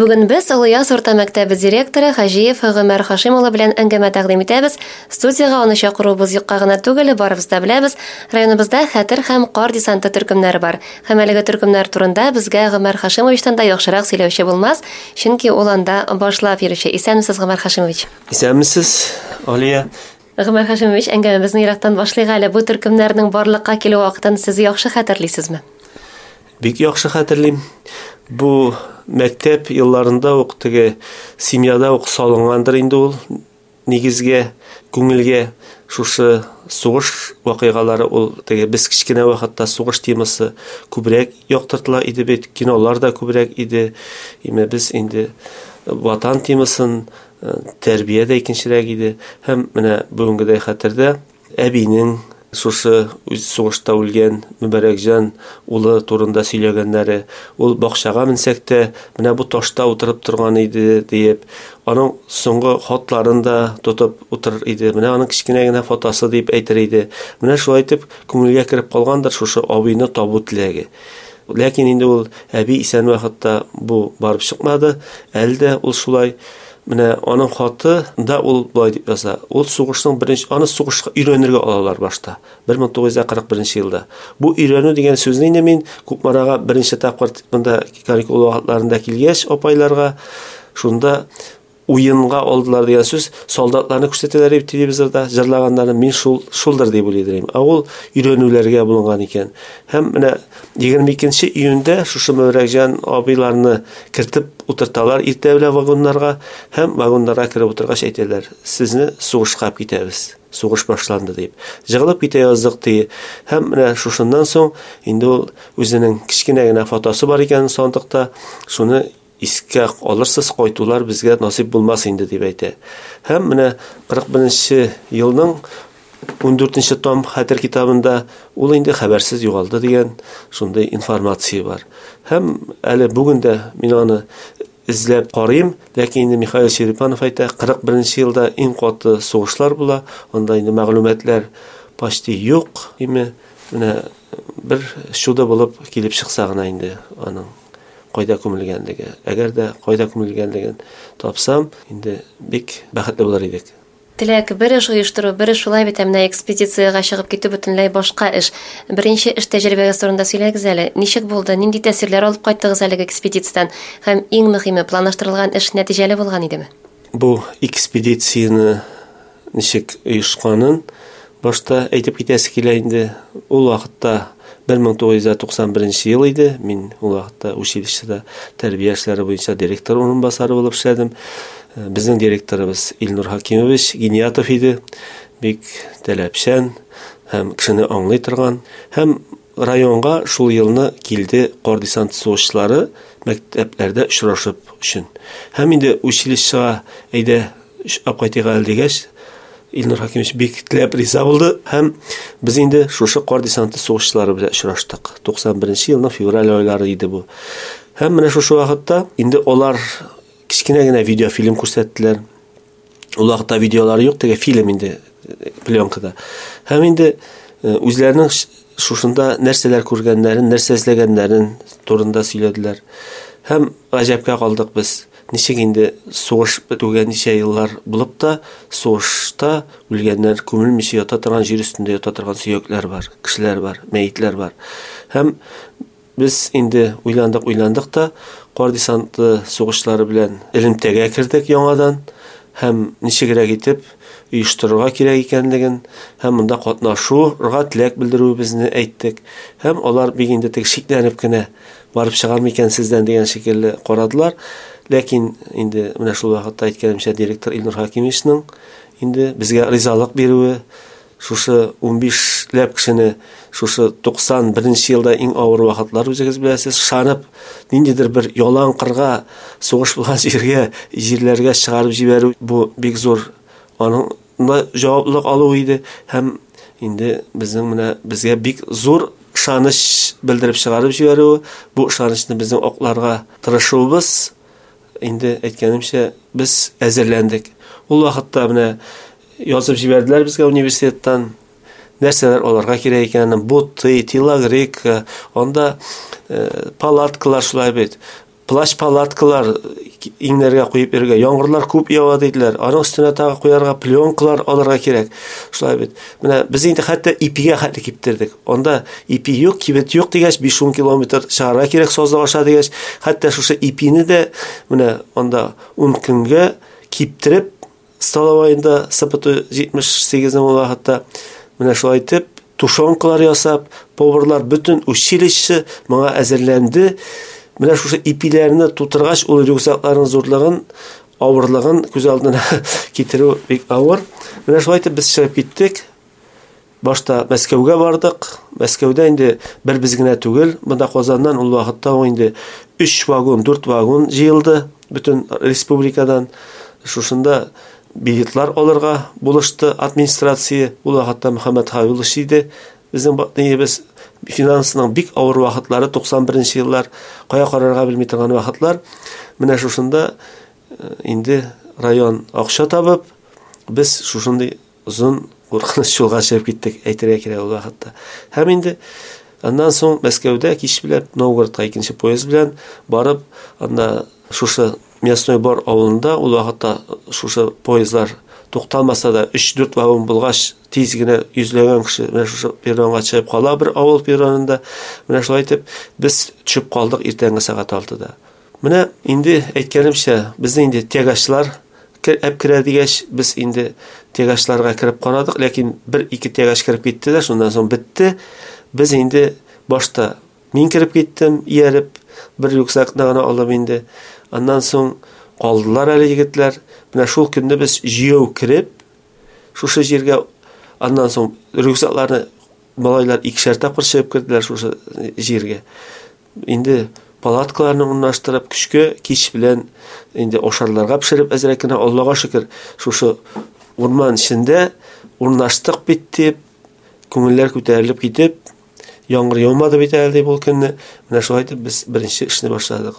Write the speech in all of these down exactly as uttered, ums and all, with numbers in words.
Бүген без Олыяз урта мәктәбе директоры Хаҗиев Гомәр Хашим улы белән әңгәмә тәкъдим итәбез. Студиягә аны чакыруыбыз юкка гына түгел, барыбыз да беләбез, районыбызда Хәтер һәм Кар десанты төркемнәре бар. Һәм әлеге төркемнәр турында безгә Гомәр Хашимовичтан да яхшырак сөйләүче булмас, чөнки ул анда башлап йөрүче. Исәнмесез, Гомәр Хашимович. Исәнмесез, Алия. Гомәр Хашимович, әңгәмәбезне ерактан башлыйк әле. Бу төркемнәрнең барлыкка килү вакытын сез яхшы хәтерлисезме? Бик яхшы хәтерлим. Бу мәктәп елларында ук теге семьяда ук салынгандыр инде ул нигезгә, күңелгә шушы сугыш вакыйгалары, ул теге без кечкенә вакытта сугыш темасы күбрәк яктыртыла иде бит, кинолар да күбрәк иде. Име без инде ватан темасын, тәрбия дә икенчерәк иде. Һәм менә бүгенгедәй хәтердә әбинең шушы үз сугышта үлгән Мөбәрәкҗан улы турында сөйләгәннәре, ул бакчага менсәк тә, менә бу ташта утырып торган иде диеп, аның соңгы хатларын да тотып утырыр иде, менә аның кечкенә генә фотосы дип әйтер иде. Менә шулай итеп күңелгә кереп калгандыр шушы абыйны табу теләге. Ләкин инде ул әби исән вакытта бу барып чыкмады, әле дә ул шулай. Менә аның хаты да ул былай дип яза. Ул сугышның беренче, аны сугышка өйрәнергә алалар башта. бер мең тугыз йөз кырык беренче елда. Бу өйрәнү дигән сүзне инде мин Кукмарага беренче тапкыр монда каникул вакытларында килгәч апайларга шунда уенга алдылар дигән сүз, солдатларны күрсәтәләр дип телевизорда җырлаганнарын мин шул, шулдыр дип уйлый идем. Ә ул өйрәнүләргә булынган икән. Һәм менә егерме икенче июньдә шушы Мөбәрәкҗан абыйларны кертеп утырталар иртә белән вагоннарга, һәм вагоннарга кереп утыргач әйтәләр, сезне сугышка алып китәбез, сугыш башланды дип. Жыгылып китә яздык ди. Һәм менә шушыннан соң инде ул үзенең кечкенә генә фотосы бар икән сандыкта, шуны искә алырсыз, кайтулар безгә насыйп булмас инде дип әйтә. Һәм менә кырык беренче елның ундүртенче том хәтер китабында ул инде хәбәрсез югалды дигән шундый информация бар. Һәм әле бүген дә мин аны эзләп карыйм, ләкин инде Михаил Черепанов әйтә, кырык беренче елда иң каты сугышлар була, анда инде мәгълүматлар почти юк, име менә бер чудо булып килеп чыкса гына инде аның кайда күмелгәнлеге. Әгәр дә кайда күмелгәнлеген тапсам, инде бик бәхетле булыр идек. Теләк бер эш оештыру, бер эш шулай бит, ә менә экспедициягә чыгып китү бөтенләй башка эш. Беренче эш тәҗрибәгез турында сөйләгез әле. Ничек булды, нинди тәэсирләр алып кайттыгыз әлеге экспедициядән? Һәм иң мөһиме, планлаштырылган эш нәтиҗәле булган идеме? Бу экспедицияне ничек оешканын башта әйтеп китәсе килә инде. Ул вакытта бер мең тугыз йөз туксан беренче ел иде. Мин ул вакытта училищеда тәрбия эшләре буенча директор урынбасары булып эшләдем. Безнең директорыбыз Илнур Хакимович Гиниятов иде. Бик таләпчән һәм кешене аңлый торган. Һәм районга шул елны килде кар десант сугышчылары мәктәпләрдә очрашып өчен. Һәм инде училищега әйдә алып кайтыйк әле дигәч, Илнур Хакимович бик теләп риза булды һәм без инде шушы кар десанты сугышчылары белән очраштык. Туксан беренче елның февраль айлары иде бу. Һәм менә шушы вакытта инде алар кечкенә генә видеофильм күрсәттеләр. Ул вакытта видеолар юк, теге фильм инде пленкада. Һәм инде, э, үзләренең ш-, шушында нәрсәләр күргәннәрен, нәрсә эзләгәннәрен турында сөйләделәр. Һәм гаҗәпкә калдык без. Ничек инде сугыш бетүгә ничә еллар булып та, сугышта үлгәннәр күмелмичә ята торган җир өстендә ята торган сөякләр бар, кешеләр бар, мәетләр бар. Һәм без инде уйландык, уйландык та, кар десанты сугышлары белән элемтәгә кердек яңадан һәм ничегрәк итеп оештырырга кирәк икәнлеген һәм монда катнашуга теләк белдерүебезне әйттек. Һәм алар бик инде теге шикләнеп кенә барып чыгар микән сездән дигән шикелле карадылар. Ләкин инде менә шул вакытта әйткәнемчә, директор Илнур Хакимовичның инде безгә ризалык бирүе, шушы унбишләп кешене шушы туксан беренче елда иң авыр вакытлар үзегез беләсез, шанып ниндидер бер ялан кырга, сугыш булган җиргә, җирләргә чыгарып җибәрү, бу бик зур аның җаваплылык алу иде. Һәм инде безнең менә безгә бик зур ышаныч белдереп чыгарып җибәрүе, бу ышанычны безнең акларга тырышуыбыз, инде әйткәнемчә, без әзерләндек. Ул вакытта менә язып җибәрделәр безгә университеттан, нәрсәләр алырга кирәк икәнен, боты, телогрейка, анда, э, палаткалар шулай бит. Плащ-палаткалар иңнәргә куеп йөрергә, яңгырлар күп ява диделәр. Аның өстенә тагы куярга пленкалар алырга кирәк. Шулай бит. Менә без инде хәтта ипигә хәтле киптердек. Анда ипи юк, кибет юк дигәч, биш-ун километр чыгарга кирәк сазлык аша дигәч, хәтта шушы ипине дә менә анда ун көнгә киптереп столовойында С П Т җитмеш сигезнең ул вакытта менә шулай итеп тушенкалар ясап, поварлар бөтен училище моңа әзерләнде. Менә шушы ипиләрне тутыргач, ул рюкзакларның зурлыгын, авырлыгын күз алдына китерү бик авыр. Менә шулай итеп без чыгып киттек. Башта Мәскәүгә бардык. Мәскәүдә инде бер без генә түгел, монда Казаннан ул вакытта инде өч вагон, дүрт вагон җыелды бөтен республикадан. Шушында билетлар алырга булышты администрация. Ул вакытта Мөхәммәд Хавилович иде. Безнең ниебез финансының бик авыр вакытлары, туксан беренче еллар, кая карарга белми торган вакытлар. Менә шушында, э, инде район акча табып, без шушындый озын куркыныч юлга чыгып киттек, әйтергә кирәк ул вакытта. Һәм инде аннан соң Мәскәүдә кич белән Новгородка икенче поезд белән барып, анда шушы Мясной Бор авылында ул вакытта шушы поездлар тукталмаса да өч-дүрт вагон булгач, тиз генә йөзләгән кеше менә шушы перронга чыгып кала бер авыл перронында. Менә шулай итеп без төшеп калдык иртәнге сәгать алтыда. Менә инде әйткәнемчә, безне инде тягачлар әп керә дигәч, без инде тягачларга кереп карадык, ләкин бер-ике тягач кереп китте дә, шуннан соң бетте. Без инде башта мин кереп киттем, ияреп, бер рюкзакны гына алып инде. Аннан соң калдылар әле егетләр. Менә шул көнне без җыяу кереп, шушы җиргә, аннан соң рюкзакларны малайлар икешәр тапкыр чыгып керделәр шушы җиргә. Инде палаткаларны урнаштырып, көчкә кич белән инде ашарларга пешереп әзрәк кенә, Аллага шөкер, шушы урман эчендә урнаштык бит дип, күңелләр күтәрелеп китеп, яңгыр яумады бит әле дип ул көнне. Менә шулай итеп без беренче эшне башладык.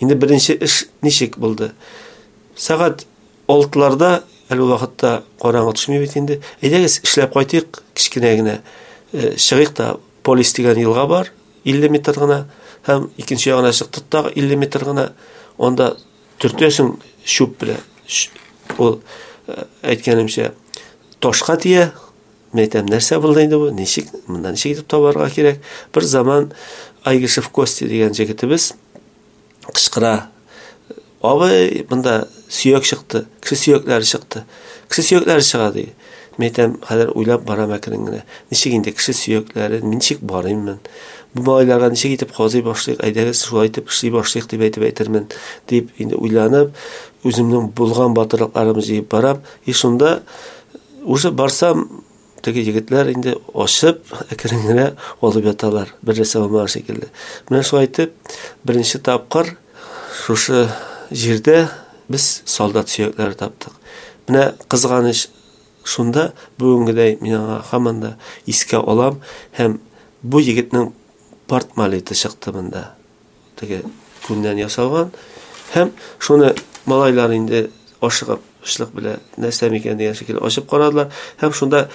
Инде беренче эш ничек булды? Сәгать алтыларда, әле ул вакытта караңгы төшми бит инде. Әйдәгез, эшләп кайтыйк, кечкенә генә, э, чыгыйк та, Полис дигән елга бар, илле метр гына, һәм икенче ягына чыктык та илле метр гына. Анда төртәсең чүп белән. Ул, э, әйткәнемчә, ташка тия. Мин әйтәм, нәрсә булды инде бу? Ничек, монда ничек итеп табарга кирәк? Бер заман Айгишев Костя дигән җегетебез кычкыра. Абый, монда сөяк чыкты, кеше сөякләре чыкты. Кеше сөякләре чыга ди. Мин әйтәм, хәзер уйлап барам әкрен генә. Ничек инде кеше сөякләре, мин ничек барыйм мин? Бу малайларга ничек итеп казый башлыйк, әйдәгез шулай итеп эшли башлыйк дип әйтеп әйтермен дип инде уйланып, үземнең булган батырлыкларымны җыеп барам. И шунда уже барсам, теге егетләр инде ачып, әкрен генә алып яталар, бер нәрсә булмаган шикелле. Менә шулай итеп, беренче тапкыр шушы җирдә без солдат сөякләре таптык. Менә кызганыч шунда, бүгенгедәй мин аңа һаман да искә алам, һәм бу егетнең портмолеты чыкты монда. Теге күннән ясалган, һәм шуны малайлар инде ашыгып, ачлык белән нәрсә микән дигән шикелле ачып карадылар, һәм шунда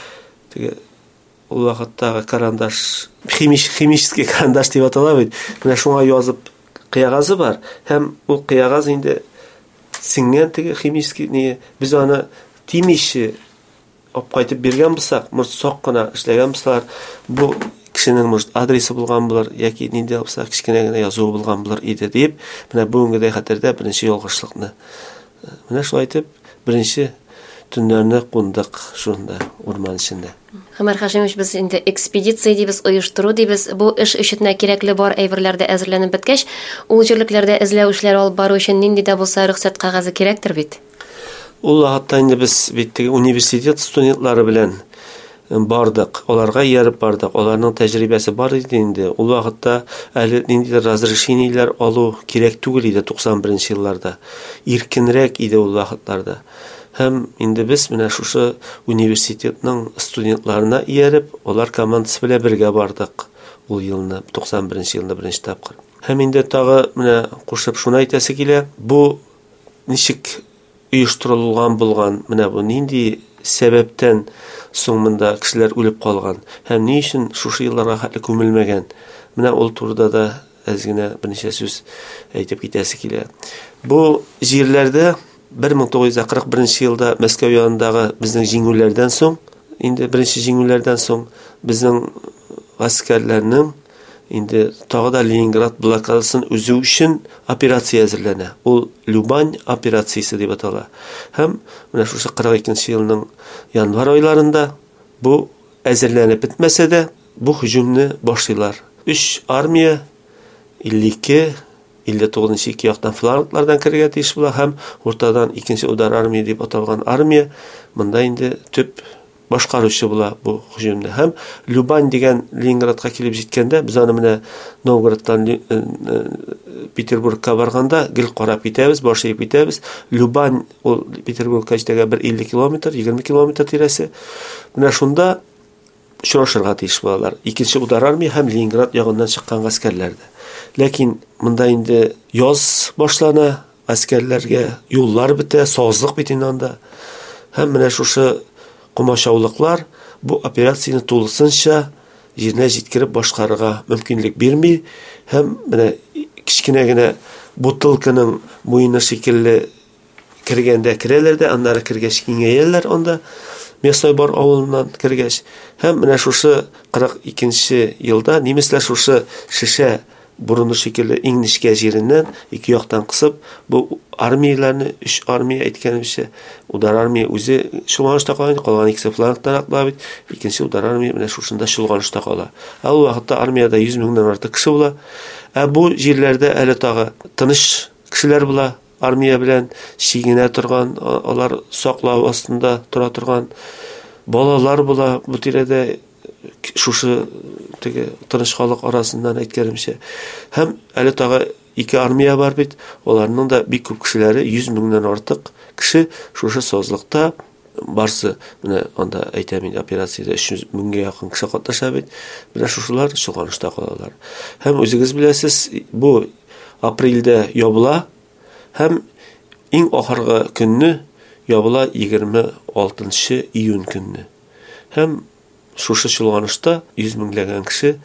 теге ул вакыттагы карандаш, химич, химический карандаш дип атала бит. Менә шуңа язып кыягазы бар, һәм ул кыягаз инде сеңгән теге химический не, без аны тимиче алып кайтып биргән булсак, может, сак кына эшләгән булсалар, бу кешенең, может, адресы булган булыр, яки нинди булса кечкенә генә язуы булган булыр иде дип, менә бүгенгедәй хәтердә беренче ялгышлыкны. Менә шулай итеп беренче төннәрне кундык шунда урман эчендә. Гомәр Хашимович, без инде экспедиция дибез, оештыру дибез. Бу эш өчен кирәкле бар әйберләр дә әзерләнеп беткәч, ул җирлекләрдә эзләү эшләре алып бару өчен нинди дә булса рөхсәт кәгазе кирәктер бит? Ул вакытта инде без бит теге университет студентлары белән бардык, аларга ияреп бардык. Аларның тәҗрибәсе бар иде инде. Ул вакытта әле ниндидер разрешениеләр алу кирәк түгел иде туксан беренче елларда. Иркенрәк иде ул вакытларда. Һәм инде без менә шушы университетның студентларына ияреп, алар командасы белән бергә бардык ул елны, туксан беренче елны беренче тапкыр. Һәм инде тагы менә кушып шуны әйтәсе килә, бу ничек оештырылган булган, менә бу нинди сәбәптән соң монда кешеләр үлеп калган һәм ни өчен шушы елларга хәтле күмелмәгән? Менә ул турыда да әз генә берничә сүз әйтеп китәсе килә. Бу җирләрдә бер мең тугыз йөз кырык беренче елда Мәскәү янындагы безнең җиңүләрдән соң, инде беренче җиңүләрдән соң безнең гаскәрләрнең инде тагы да Ленинград блокадасын өзү өчен операция әзерләнә. Ул Любань операциясе дип атала. Һәм менә шушы кырык икенче елның январь айларында бу әзерләнеп бетмәсә дә, бу һөҗүмне башлыйлар. Өч армия илле ике, илле тугызынчы ике яктан фланглардан керергә тиеш була һәм уртадан икенче удар армия дип аталган армия монда инде төп башкаручы була бу һөҗүмдә. Һәм Любань дигән Ленинградка килеп җиткәндә, без аны менә Новгородтан Ле-, э, э, Петербургка барганда гел карап китәбез, баш иеп китәбез. Любань ул Петербургка җитәргә бер илле километр, егерме километр тирәсе. Менә шунда очрашырга тиеш булалар. Икенче удар армия һәм Ленинград ягыннан чыккан гаскәрләр дә. Ләкин монда инде яз башлана, гаскәрләргә юллар бетә, сазлык бит инде анда. Һәм менә шушы комачаулыклар бу операцияне тулысынча җиренә җиткереп башкарырга мөмкинлек бирми. Һәм менә кечкенә генә бутылканың муены шикелле кергәндә керәләр дә, аннары кергәч киңәяләр анда. Мясной бар авылыннан кергәч. Һәм менә шушы кырык икенче елда немецләр шушы шешә борыны шикелле иң нечкә җиреннән ике яктан кысып, бу армияләрне, өч армия әйткәнемчә, удар армия үзе чолганышта кала, калган икесе флангтан атлап бит, икенче удар армия менә шушында чолганышта кала. Ә ул вакытта армиядә йөз меңнән артык кеше була. Ә бу җирләрдә әле тагы тыныч кешеләр була, армия белән чигенә торган, а-, алар саклау астында тора торган балалар була бу тирәдә, шушы теге тыныч халык арасыннан әйткәнемчә. Һәм әле тагы ике армия бар бит, аларның да бик күп кешеләре, йөз меңнән артык кеше шушы сазлыкта барсы, менә анда әйтәм инде, операциядә өч йөз меңгә якын кеше катнаша бит, менә шушылар чолганышта калалар. Һәм үзегез беләсез, бу апрельдә ябыла һәм иң ахыргы көнне ябыла егерме алтынчы июнь көнне. Һәм шушы чолганышта йөз меңләгән кеше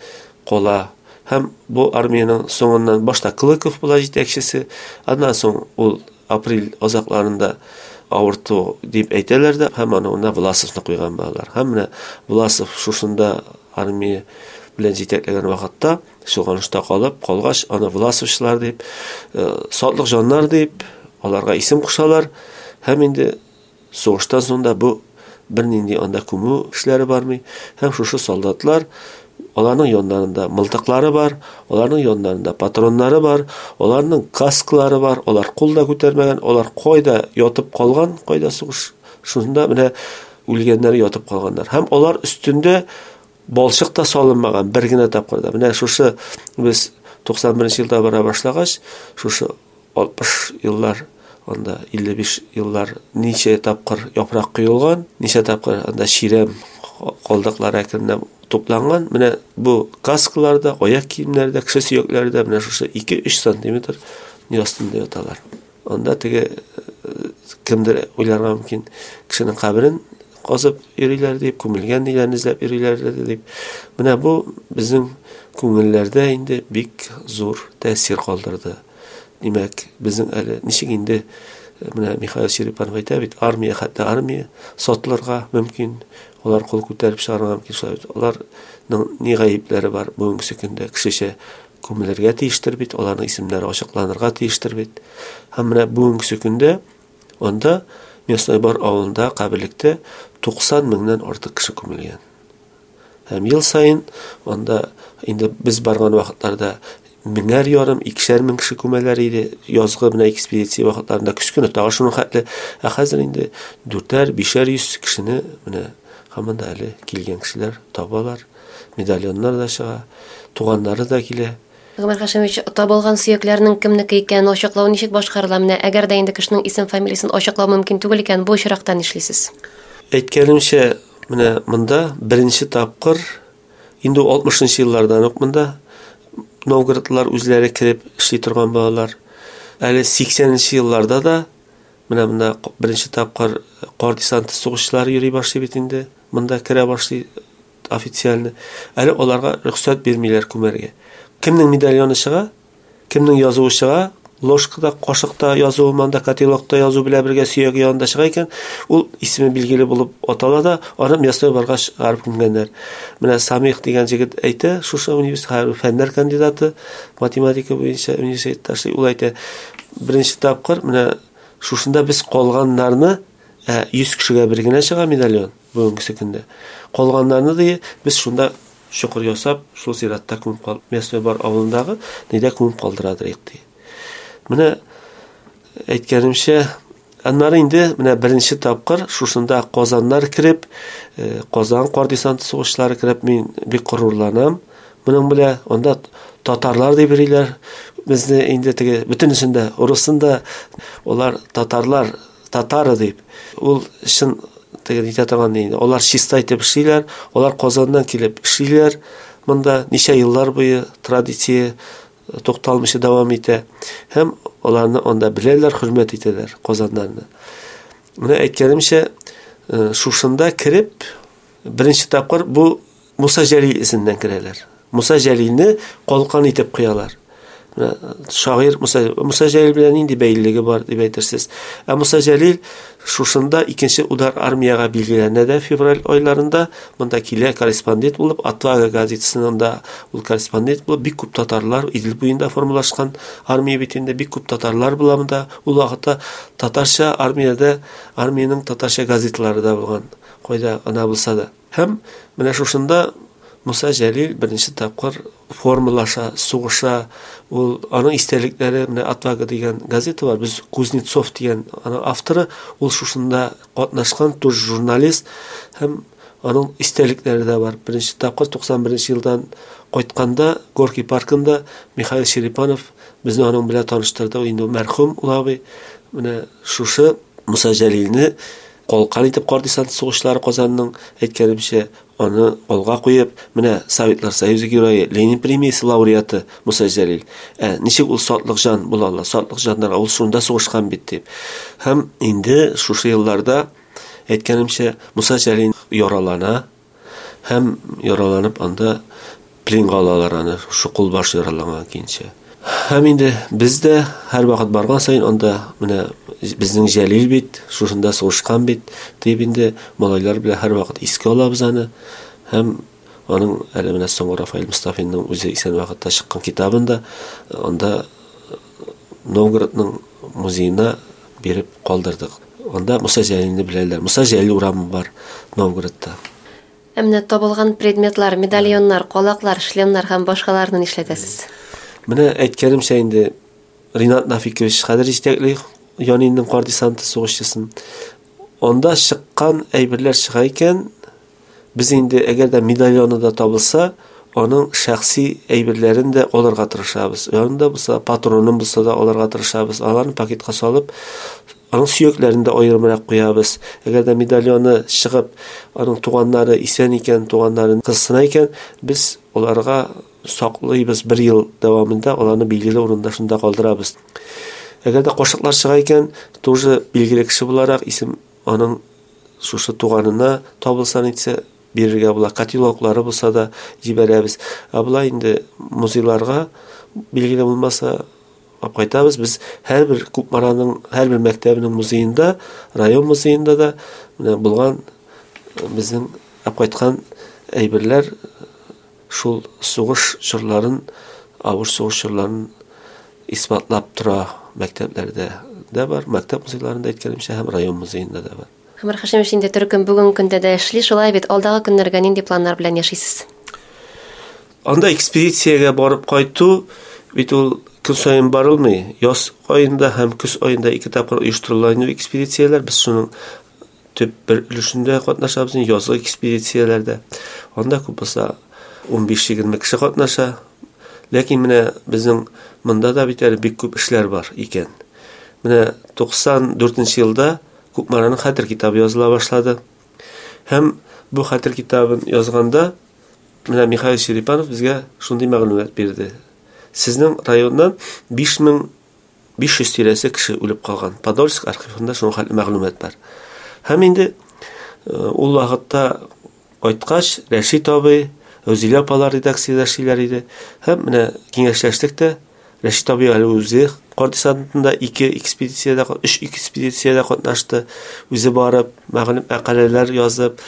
кала. Һәм бу армиянең соңыннан башта Клыков була җитәкчесе, аннан соң ул апрель азакларында авырту дип әйтәләр дә, һәм аны урынына Власовны куйган булалар. Һәм менә Власов шушында армия белән җитәкләгән вакытта чолганышта калып, калгач, аны Власовчылар дип, э, сатлык җаннар дип, аларга исем кушалар. Һәм инде сугыштан соң да бу бернинди анда күмү эшләре бармый. Һәм шушы солдатлар, аларның яннарында мылтыклары бар, аларның яннарында патроннары бар, аларның касклары бар, алар кул да күтәрмәгән, алар кайда ятып калган, кайда сугыш, шунда менә үлгәннәре ятып калганнар. Һәм алар өстендә балчык та салынмаган бер генә тапкыр да. Менә шушы без туксан беренче елда бара башлагач, шушы алтмыш еллар, анда илле биш еллар ничә тапкыр яфрак коелган, ничә тапкыр анда чирәм калдыклары әкренләп тупланган. Менә бу каскаларда, аяк киемнәрдә, кеше сөякләрдә менә шушы ике-өч сантиметр ни астында яталар. Анда теге, э, кемдер уйларга мөмкин, кешенең каберен казып йөриләр дип, күмелгән ниләрне эзләп йөриләр дип. Менә бу безнең күңелләрдә инде бик зур тәэсир калдырды. Димәк, безнең әле ничек инде, менә Михаил Черепанов әйтә бит, армия, хәтта армия сатылырга мөмкин, алар кул күтәреп чыгарырга мөмкин, шулай бит. Аларның ни гаепләре бар бүгенге көндә, кешечә күмелергә тиештер бит, аларның исемнәре ачыкланырга тиештер бит. Һәм менә бүгенге көндә анда Мясной Бор авылында каберлектә туксан меңнән артык кеше күмелгән. Һәм ел саен анда инде без барган вакытларда меңәр ярым, икешәр мең кеше күмәләр иде. Язгы менә экспедиция вакытларында көз көне тагы шуның хәтле. Ә хәзер инде дүртәр, бишәр йөз кешене менә һаман да әле килгән кешеләр табалар. Медальоннар да чыга, туганнары да килә. Гомәр Хашимович, табылган сөякләрнең кемнеке икәнен ачыклау ничек башкарыла? Менә әгәр дә инде кешенең исем-фамилиясен ачыклау мөмкин түгел икән, бу очракта нишлисез? Әйткәнемчә, менә монда беренче тапкыр инде алтмышынчы еллардан ук монда Новгородтлар үзләре кереп эшли торган балалар. Әле сиксәненче елларда да менә монда беренче тапкыр кар десанты сугышчылары йөри башлый бит инде. Монда керә башлый официально. Әле аларга рөхсәт бирмиләр күмәргә. Кемнең медальоны чыга, кемнең язуы чыга, ложкада, кашыкта язуы, монда котелокта язу белән бергә сөяге янында чыга икән, ул исеме билгеле булып атала да, аны мясной барга чыгарып күмгәннәр. Менә Самих дигән җегет әйтә, шушы университет фәннәр кандидаты, математика буенча университетта эшли, ул әйтә, беренче тапкыр менә шушында без калганнарны, ә, йөз кешегә бер генә чыга медальон бүгенге көндә. Калганнарны ди, без шунда чокыр ясап, шул зиратта күмеп кал, мясной бар авылындагы нидә күмеп калдырадыр ди. Менә әйткәнемчә, аннары инде менә беренче тапкыр шушында Казаннар кереп, Казан кар десанты сугышлары кереп, мин бик горурланам. Моның белән анда татарлар дип йөриләр. Безне инде теге бөтенесендә, урысында алар татарлар, татары дип. Ул чын теге нитә торган инде. Алар чиста итеп эшлиләр, алар Казаннан килеп эшлиләр. Монда ничә еллар буе традиция тукталмыйча дәвам итә. Һәм аларны анда беләләр, хөрмәт итәләр Казаннарны. Менә әйткәнемчә, шушында кереп, беренче тапкыр бу Муса Җәлил исеменнән керәләр. Муса Җәлилне калкан итеп куялар. Менә шагыйрь Муса, Муса Җәлил белән нинди бәйлелеге бар дип әйтерсез. Ә Муса Җәлил шушында икенче удар армиягә билгеләнә дә февраль айларында монда килә корреспондент булып, Отвага газетасының да ул корреспондент булып, бик күп татарлар Идел буенда формалашкан армия бит инде, бик күп татарлар була монда. Ул вакытта татарча армиядә, армиянең татарча газеталары да булган, кайда гына булса да. Һәм менә шушында Муса Җәлил беренче тапкыр формалаша, сугыша. Ул аның истәлекләре, менә Отвага дигән газета бар, без Кузнецов дигән аның авторы, ул шушында катнашкан тоже журналист, һәм аның истәлекләре дә бар. Беренче тапкыр туксан беренче елдан кайтканда Горький паркында Михаил Черепанов безне аның белән таныштырды. Инде мәрхүм ул абый. Менә шушы Муса Җәлилне калкан итеп кар десант сугышлары Казанның, әйткәнемчә, аны алга куеп, менә Советлар Союзы герое, Ленин премиясе лауреаты Муса Җәлил. Ә ничек ул сатлык җан була ала? Сатлык җаннар ул шунда сугышкан бит дип. Һәм инде шушы елларда, әйткәнемчә, Муса Җәлил яралана һәм яраланып анда пленга алалар аны, шушы кулбаш яраланган киенчә. Һәм инде без дә һәр вакыт барган саен анда менә безнең Җәлил бит, шушында сугышкан бит дип инде малайлар белән һәр вакыт искә алабыз аны. Һәм аның әле менә соңгы Рафаэль Мустафинның үзе исән вакытта чыккан китабында анда Новгородның музеена биреп калдырдык. Анда Муса Җәлилне беләләр. Муса Җәлил урамы бар Новгородта. Ә менә табылган предметлар, медальоннар, калаклар, шлемнар һәм башкаларны нишләтәсез? Менә әйткәнемчә инде Ринат Нафикович хәзер җитәкли Янинның кар десанты сугышчысын. Анда чыккан әйберләр чыга икән, без инде әгәр дә медальоны да табылса, аның шәхси әйберләрен дә алырга тырышабыз. Янында булса, патронын булса да алырга тырышабыз. Аларны пакетка салып, аның сөякләрен дә аерымрак куябыз. Әгәр дә медальоны чыгып, аның туганнары исән икән, туганнарын кызсына икән, без аларга саклыйбыз бер ел дәвамында, аларны билгеле урында шунда калдырабыз. Әгәр дә кашыклар чыга икән, тоже билгеле кеше буларак исем аның шушы туганына табылса нитсә бирергә була, котелоклары булса да җибәрәбез. Ә болай инде музейларга билгеле булмаса алып кайтабыз. Без һәрбер Кукмараның һәрбер мәктәбенең музеенда, район музеенда да менә булган безнең алып кайткан әйберләр шул сугыш чорларын, авыр сугыш чорларын исбатлап тора. Мәктәпләрдә дә бар, мәктәп музейларында әйткәнемчә һәм район музеенда да бар. Гомәр Хашимович, инде төркем бүгенге көндә дә эшли, шулай бит, алдагы көннәргә нинди планнар белән яшисез? Анда экспедициягә барып кайту бит ул көн саен барылмый. Яз аенда һәм көз аенда ике тапкыр оештырыла инде экспедицияләр. Без шуның төп бер өлешендә катнашабыз, язгы экспедицияләрдә. Анда күп булса ун биш-егерме кеше катнаша. Ләкин менә безнең монда да бит әле бик күп эшләр бар икән. Менә туксан дүртенче елда Кукмараның хәтер китабы языла башлады. Һәм бу хәтер китабын язганда менә Михаил Черепанов безгә шундый мәгълүмат бирде. Сезнең районнан биш мең биш йөз тирәсе кеше үлеп калган. Подольск архивында шуның хәтле мәгълүмат бар. Һәм инде ул вакытта кайткач Рәшит абый, Әүзилә апалар редакциядә эшлиләр иде. Һәм менә киңәшләштек тә, Рәшит абый әле үзе кар десантында ике экспедициядә, өч экспедициядә катнашты. Үзе барып, мәгълүм мәкаләләр язып,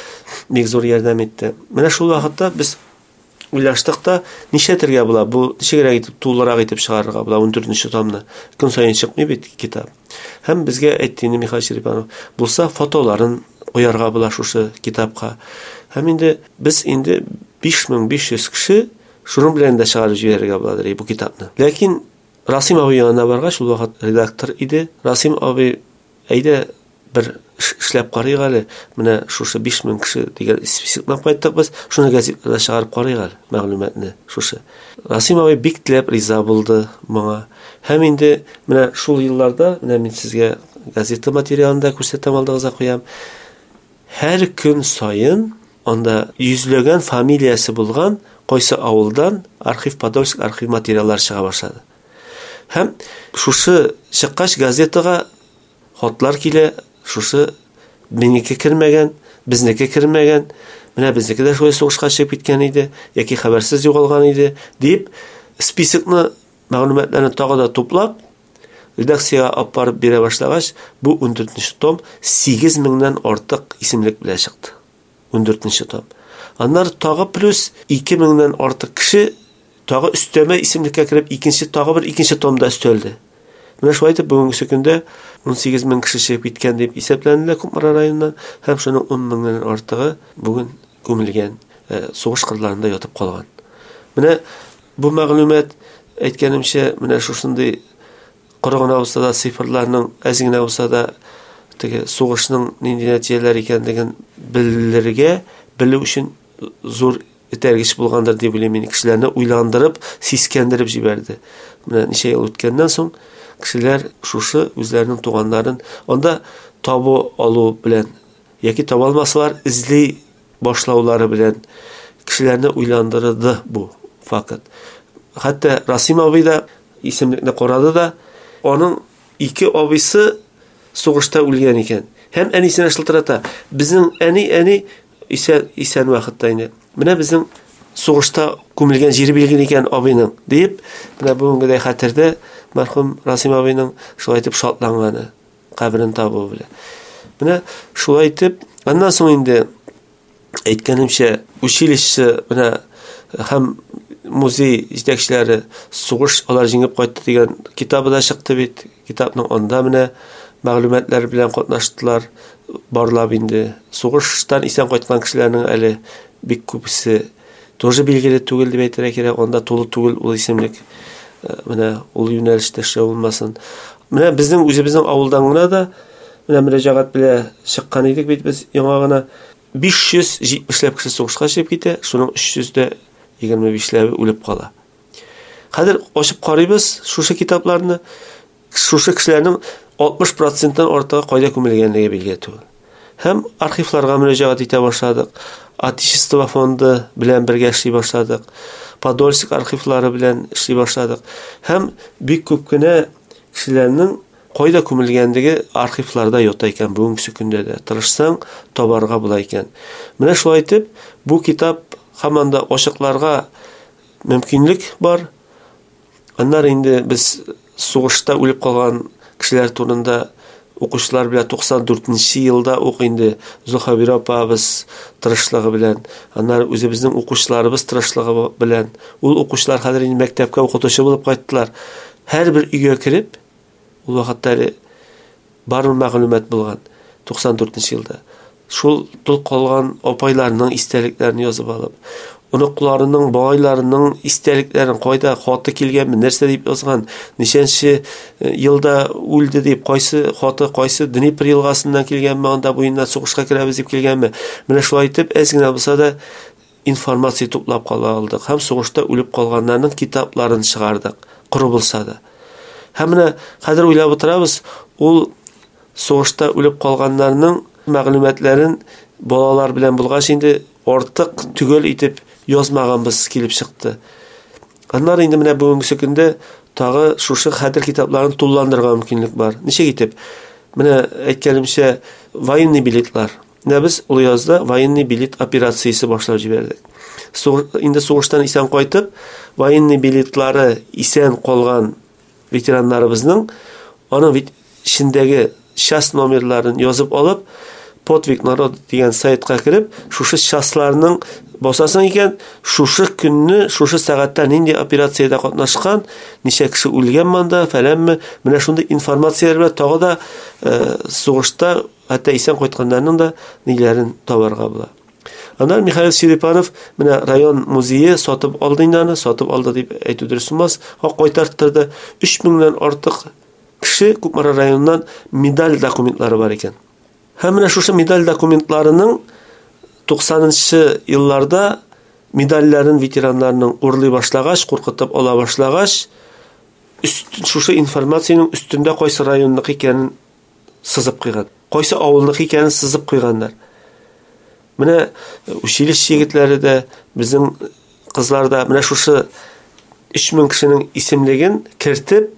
бик зур ярдәм итте. Менә шул вакытта без уйлаштык та, нишләтергә була, бу ничегрәк итеп, тулырак итеп чыгарырга була ундүртенче томны. Көн саен чыкмый бит китап. Һәм безгә әйтте инде Михаил Черепанов, булса фотоларын куярга була шушы китапка. Һәм инде без инде биш мең биш йөз кеше шуның белән дә чыгарып җибәрергә буладыр бу китапны. Ләкин Расим абый янына баргач, ул вакыт редактор иде. Расим абый, әйдә бер эшләп карыйк әле, менә шушы биш мең кеше дигән списокны кайттык без, шуны газетада чыгарып карыйк әле мәгълүматны шушы. Расим абый бик теләп риза булды моңа. Һәм инде менә шул елларда, менә мин сезгә газета материалын да күрсәтәм, алдыгызга куям. Һәр көн саен анда йөзләгән фамилиясе булган кайсы авылдан архив, Подольск архив материаллары чыга башлады. Һәм шушы чыккач газетага хатлар килә, шушы минеке кермәгән, безнеке кермәгән, менә безнеке дә шулай сугышка чыгып киткән иде, яки хәбәрсез югалган иде, дип списокны, мәгълүматларны тагы да туплап, редакциягә алып барып бирә башлагач, бу ундүртенче том сигез меңнән артык исемлек белән чыкты. Ундүртенче том. Аннары тагы плюс ике меңнән артык кеше тагы өстәмә исемлеккә кереп, икенче, тагы бер икенче томда өстәлде. Менә шулай итеп бүгенге көндә унсигез мең кеше чыгып киткән дип исәпләнелә Кукмара районыннан, һәм шуның ун меңнән артыгы бүген күмелгән, сугыш кырларында ятып калган. Менә бу мәгълүмат, әйткәнемчә, менә шушындый коры гына булса да цифрларның әз генә булса да теге сугышның нинди нәтиҗәләр икәнлеген белергә, белү өчен зур этәргеч булгандыр дип уйлыйм мин. Кешеләрне уйландырып, сискәндереп җибәрде. Менә ничә ел үткәннән соң кешеләр шушы үзләренең туганнарын анда табу алу белән яки таба алмасалар эзли башлаулары белән кешеләрне уйландырды бу факт. Хәтта Расим абый да исемлекне карады да, аның ике абыйсы сугышта үлгән икән. Һәм әнисенә шылтырата. Безнең әни, әни исән, исән вакытта инде. Менә безнең сугышта күмелгән җире билгеле икән абыйның, дип, менә бүгенгедәй хәтердә мәрхүм Расим абыйның шулай итеп шатланганы, каберен табуы белән. Менә шулай итеп, аннан соң инде әйткәнемчә, училище менә һәм музей җитәкчеләре сугыш алар җиңеп кайтты дигән китабы да чыкты бит. Китапның анда менә мәгълүматлар белән катнаштылар, барлап инде. Сугыштан исән кайткан кешеләрнең әле бик күбесе тоже билгеле түгел дип әйтергә кирәк, анда тулы түгел ул исемлек. Менә ул юнәлештә эшләү булмасын. Менә безнең үзебезнең авылдан гына да менә мөрәҗәгать белән чыккан идек бит без яңа гына. биш йөз җитмешләп кеше сугышка чыгып китә, шуның өч йөз дә егерме бишләбе үлеп кала. Хәзер ачып карыйбыз шушы китапларны, шушы кешеләрнең алтмыш проценттан артыгы кайда күмелгәнлеге билгеле түгел. Һәм архивларга мөрәҗәгать итә башладык. Отечество фонды белән бергә эшли башладык. Подольск архивлары белән эшли башладык. Һәм бик күп кенә кешеләрнең кайда күмелгәнлеге архивларда ята икән бүгенге көндә дә. Тырышсаң, табарга була икән. Менә шулай итеп, бу китап һаман да ачыкларга мөмкинлек бар. Аннары инде без сугышта үлеп калган кешеләр турында укучылар белән туксан дүртенче елда ук инде Зөлхәбирә апабыз тырышлыгы белән, аннары үзебезнең укучыларыбыз тырышлыгы белән, ул укучылар хәзер инде мәктәпкә укытучы булып кайттылар. Һәрбер өйгә кереп, ул вакытта әле бар мәгълүмат булган туксан дүртенче елда. Шул тол калган апайларның истәлекләрен язып алып, оныкларының, бабайларының истәлекләрен, кайда хаты килгәнме, нәрсә дип язган, ничәнче елда үлде дип, кайсы хаты, кайсы Днепр елгасыннан килгәнме, анда буеннан сугышка керәбез дип килгәнме. Менә шулай итеп, әз генә булса да информация туплап кала алдык һәм сугышта үлеп калганнарның китапларын чыгардык, коры булса да. Һәм менә хәзер уйлап утырабыз, ул сугышта үлеп калганнарның мәгълүматларын балалар белән булгач инде артык төгәл итеп язмаганбыз килеп чыкты. Аннары инде менә бүгенге көндә тагы шушы хәтер китапларын тулыландырырга мөмкинлек бар. Ничек итеп? Менә әйткәнемчә, военный билетлар. Менә без Олыязда военный билет операциясе башлап җибәрдек. Инде сугыштан исән кайтып, военный билетлары исән калган ветераннарыбызның аның эчендәге часть номерларын язып алып, Подвиг народ дигән сайтка кереп, шушы частьларның басасың икән, шушы көнне, шушы сәгатьтә нинди операциядә катнашкан, ничә кеше үлгән монда, фәләнме, менә шундый информацияләр белән тагы да э, сугышта хәтта исән кайтканнарның да ниләрен табарга була. Аннан Михаил Черепанов менә район музее сатып алды инде аны, сатып алды дип әйтү дөрес булмас, кайтарттырды. Өч меңнән артык кеше Кукмара районыннан медаль документлары бар икән. Һәм менә шушы медаль документларының туксанынчы елларда медальләрен ветераннарның урлый башлагач, куркытып ала башлагач, өст, шушы информациянең өстендә кайсы районныкы икәнен сызып куйган, кайсы авылныкы икәнен сызып куйганнар. Менә училище егетләре дә, безнең кызлар да менә шушы өч мең кешенең исемлеген кертеп,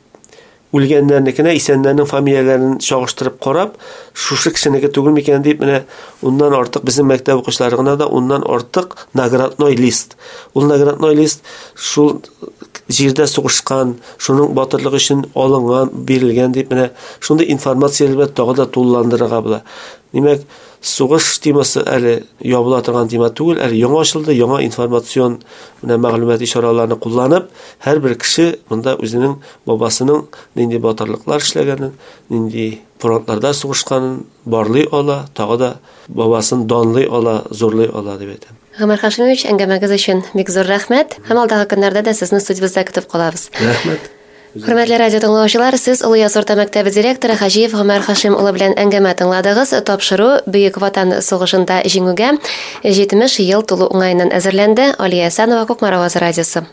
үлгәннәрнекенә исәннәрнең фамилияләрен чагыштырып карап, шушы кешенеке түгел микән дип, менә уннан артык безнең мәктәп укучылары гына да уннан артык наградной лист. Ул наградной лист шул җирдә сугышкан, шуның батырлыгы өчен алынган, бирелгән дип, менә шундый информация белән тагы да тулыландырырга була. Димәк, сугыш темасы әле ябыла торган тема түгел, әле яңа ачылды, яңа информацион менә мәгълүмати чараларны кулланып, һәрбер кеше монда үзенең бабасының нинди батырлыклар эшләгәнен, нинди фронтларда сугышканын барлый ала, тагы да бабасын данлый ала, зурлый ала дип әйтәм. Гомәр Хашимович, әңгәмәгез өчен бик зур рәхмәт. Һәм алдагы көннәрдә дә сезне студиябездә көтеп калабыз. Рәхмәт. Хөрмәтле радио тыңлаучылар, сез Олы Яз урта мәктәбе директоры Хаҗиев Гомәр Хашим улы белән әңгәмә тыңладыгыз. Тапшыру Бөек Ватан сугышында җиңүгә җитмеш ел тулу уңаеннан әзерләнде. Алия Әсәнова, Кукмара Авазы радиосы.